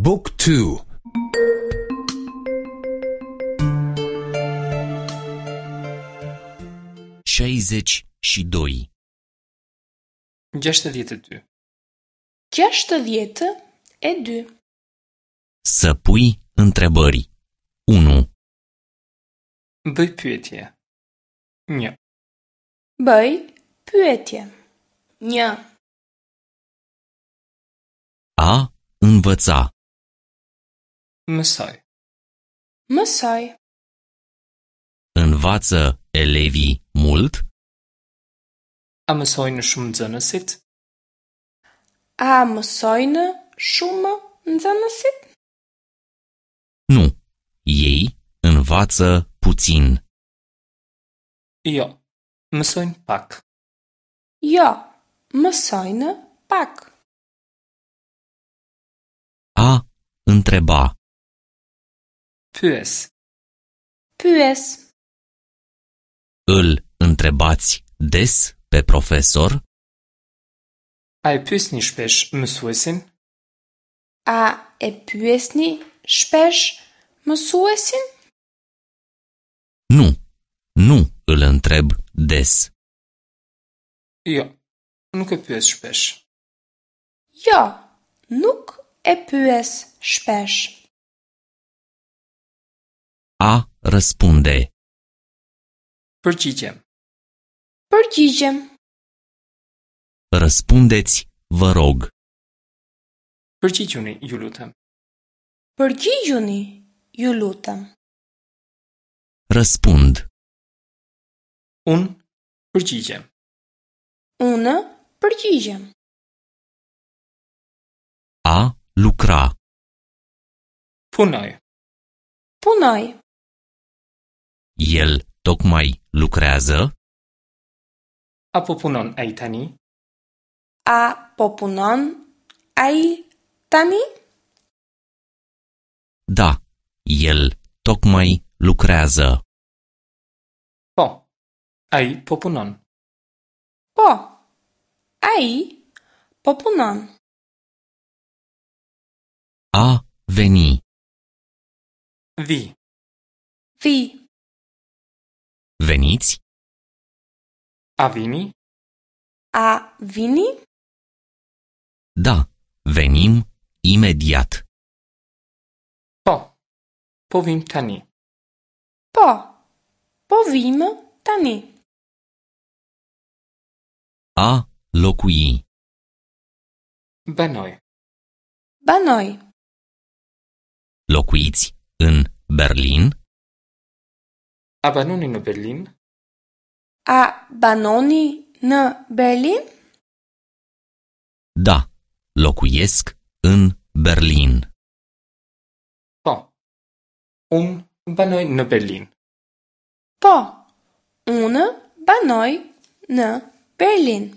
บุ๊กทู 62. 62. 62. Să pui întrebări. 1. Bëj pyetje. 1. Bëj pyetje. 1. A învăța. Mësoj. Mësoj. Învață elevii mult? A mësojnë shumë nxënësit? A mësojnë shumë nxënësit? Nu. Ei învață puțin. Jo, mësojnë pak. Jo, mësojnë pak. A întreba. Pyes. Pyes. Îl întrebați des pe profesor? A e pyesni shpesh mësuesin? A e pyesni shpesh mësuesin? Nu. Nu îl întreb des. Jo, nuk e pyes shpesh. Jo, nuk e pyes shpesh. A răspunde. Përgjigjem. Përgjigjem. Răspundeți, vă rog. Përgjigjuni, ju lutem. Përgjigjuni, ju lutem. Răspund. Unë përgjigjem. Unë përgjigjem. A lucra. Punoj. Punoj. El tocmai lucrează? A po punon ai tani? A po punon ai tani? Da, el tocmai lucrează. Po. Ai po punon. Po. Ai po punon. A veni. Vi. Vi. Veniți? A vini? A vini? Da, venim imediat. Po. Po vim tani. Po. Po vim tani. A locui. Banoj. Banoj. Locuiți în Berlin? A banoni në Berlin? A banoni në Berlin? Da, locuiesc în Berlin. Po. Unë banoj në Berlin. Po. Unë banoj në Berlin.